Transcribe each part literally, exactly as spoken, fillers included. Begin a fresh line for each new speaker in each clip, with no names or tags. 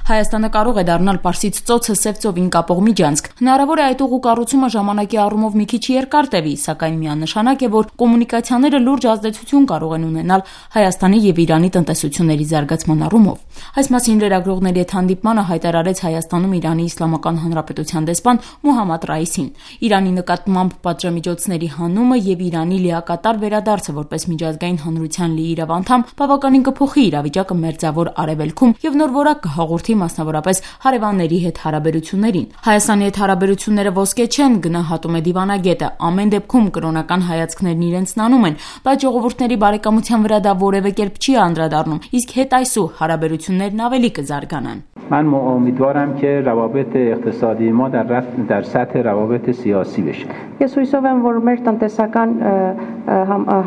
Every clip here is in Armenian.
Հայաստանը կարող է դառնալ Պարսից ծոցը Սև ծովին կապող միջանցք։ Հնարավոր է այդ ուղու կառուցումը ժամանակի առումով մի քիչ երկար տևի, սակայն միանշանակ է, որ կոմունիկացիաները լուրջ ազդեցություն կարող են ունենալ Հայաստանի եւ Իրանի տնտեսությունների զարգացման առումով։ Այս մասին լրագրողների հետ հանդիպմանը հայտարարեց Հայաստանում Իրանի Իսլամական Հանրապետության դեսպան Մոհամմադ Ռայիսին։ Իրանի նկատմամբ պատժամիջոցների հանումը եւ Իրանի լիակատար վերադարձը որպես միջազգային հանրության լիիրավ անդամ բավականին կփոխի իրավիճակը Մերձավոր Արևելքում եւ նոր որակ կհաղորդի մասնավորապես հարևանների հետ հարաբերություններին։ Հայաստանի հետ հարաբերությունները ոսկե չեն, գնահատում է դիվանագետը։ Ամեն դեպքում կրոնական հայացքներն իրենցն անում են, բայց ժողովուրդների բարեկամության վրա դա որևէ կերպ չի անդրադառնում, իսկ հետ այսու հարաբերություններն ավելի կզարգանան։
من امیدوارم که روابط اقتصادی ما در در سطح روابط سیاسی بشه.
Ես հույսով եմ, որ մեր տնտեսական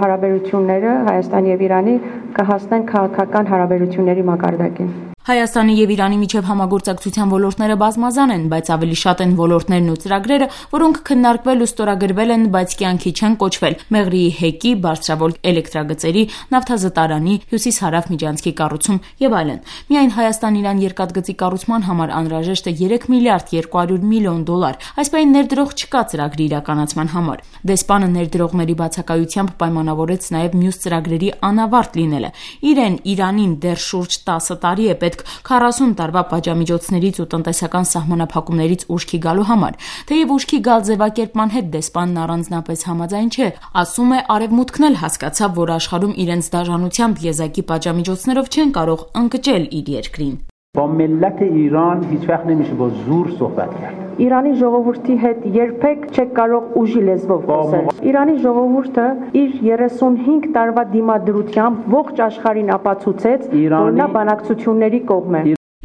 հարաբերությունները Հայաստանի եւ Իրանի կհասնեն քաղաքական հարաբերությունների մակարդակին։
Հայաստանի եւ Իրանի միջև համագործակցության ոլորտները բազմազան են, բայց ավելի շատ են ոլորտներն ու ծրագրերը, որոնք քննարկվել ու ստորագրվել են, բայց կյանքի չեն կոչվել՝ Մեղրիի հեկի, բարձրավոլտ էլեկտրագծերի, նավթազտարանի, հյուսիս-հարավ միջանցքի կառուցում եւ այլն։ Միայն Հայաստան-Իրան երկաթգծի կառուցման համար անհրաժեշտ է երեք միլիարդ երկու հարյուր միլիոն դոլար։ Այս պայն ներդրող չկա ծրագրի իրականացման համար։ Դեսպանը ներդրողների բացակայությամբ պայմանավորեց նաեւ մյուս ծրագրերի անավարտ լինելը։ Իրեն Իրանին դեռ շուրջ տասը տարի է պետք քառասուն տարվա պատժամիջոցներից ու տնտեսական սահմանափակումներից ուշքի գալու համար։ Թեև ուշքի գալ ձևակերպման հետ դեսպանն առանձնապես համաձայն չէ, ասում է Արևմուտքն էլ հասկացավ, որ աշխարհում իրենց դաժանությամբ եզակի պատժամիջոցներով չեն կարող ընկճել իր երկրին։
با ملت ایران هیچ وقت نمیشه با زور صحبت کرد.
Իրանի ժողովրդի հետ երբեք չեք կարող ուժի լեզվով խոսել։ Իրանի ժողովուրդը իր երեսունհինգ տարվա դիմադրությամբ ողջ աշխարհին ապացուցեց, որ նա բանակցությունների կողմ է։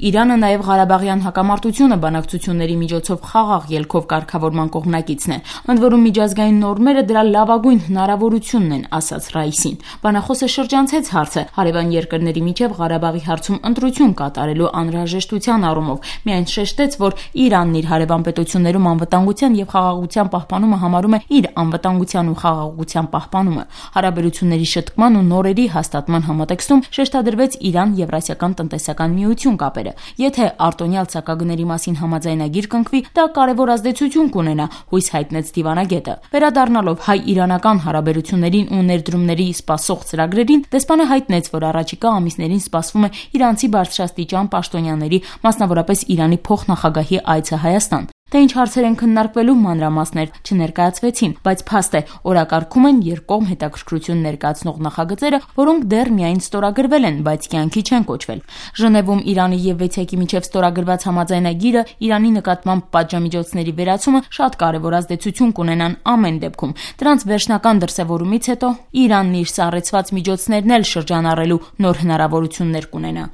Իրանը նաև Ղարաբաղյան հակամարտությունը բանակցությունների միջոցով խաղաղ ելքով կարգավորման կողմնակիցն է։ Ընդ որում միջազգային նորմերը դրա լավագույն հնարավորությունն են, ասաց Ռայիսին։ Բանախոսը շրջանցեց հարցը հարևան երկրների միջև Ղարաբաղի հարցում ընտրություն կատարելու անհրաժեշտության առումով։ Միայն շեշտեց, որ Իրանն իր հարևան պետություններում անվտանգության եւ խաղաղության պահպանումը համարում է իր անվտանգության ու խաղաղության պահպանումը։ Հարաբերությունների շտկման ու նորերի հաստատման համատեքստում շեշտադրվեց Իրան-Եվրասիական տնտեսական միություն կապերը։ Եթե արտոնյալ ցակագների մասին համաձայնագիր կնքվի, դա կարևոր ազդեցություն կունենա, հույս հայտնեց դիվանագետը։ Վերադառնալով հայ-իրանական հարաբերություններին ու ներդրումների սպասող ծրագրերին, դեսպանը հայտնեց, որ առաջիկա ամիսներին սպասվում է իրանցի բարձրաստիճան պաշտոնյաների, մասնավորապես Իրանի փոխնախագահի այցը Հայաստան։ Թե ինչ հարցեր են քննարկվելու մանրամասներ չներկայացվեցին, բայց փաստ է, օրակարգում են երկկողմ հետաքրքրություն ներկայացնող նախագծերը, որոնք դեռ միայն ստորագրվել են, բայց կյանքի չեն կոչվել։ Ժնևում Իրանի եւ Վեցիակի միջև ստորագրված համաձայնագիրը Իրանի նկատմամբ պատժամիջոցների վերացումը շատ կարևոր ազդեցություն կունենան ամեն դեպքում։ Դրանց վերջնական դրսևորումից հետո Իրանն իր սառեցված միջոցներն էլ շրջանառելու նոր հնարավորություններ կունենա։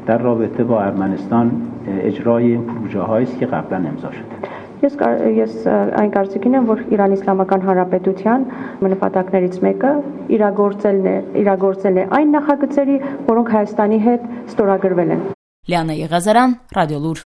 در رابطه با ارمنستان اجرای این پروژه هایی است که قبلا امضا شده.
Ես ես այն կարծիքին եմ, որ Իրանի Իսլամական Հանրապետության նպատակներից մեկը իրագործելն է, իրագործելն է այն նախագծերի, որոնք Հայաստանի հետ ստորագրվել են։
Լիանա Եղազարյան, Ռադիոլուր։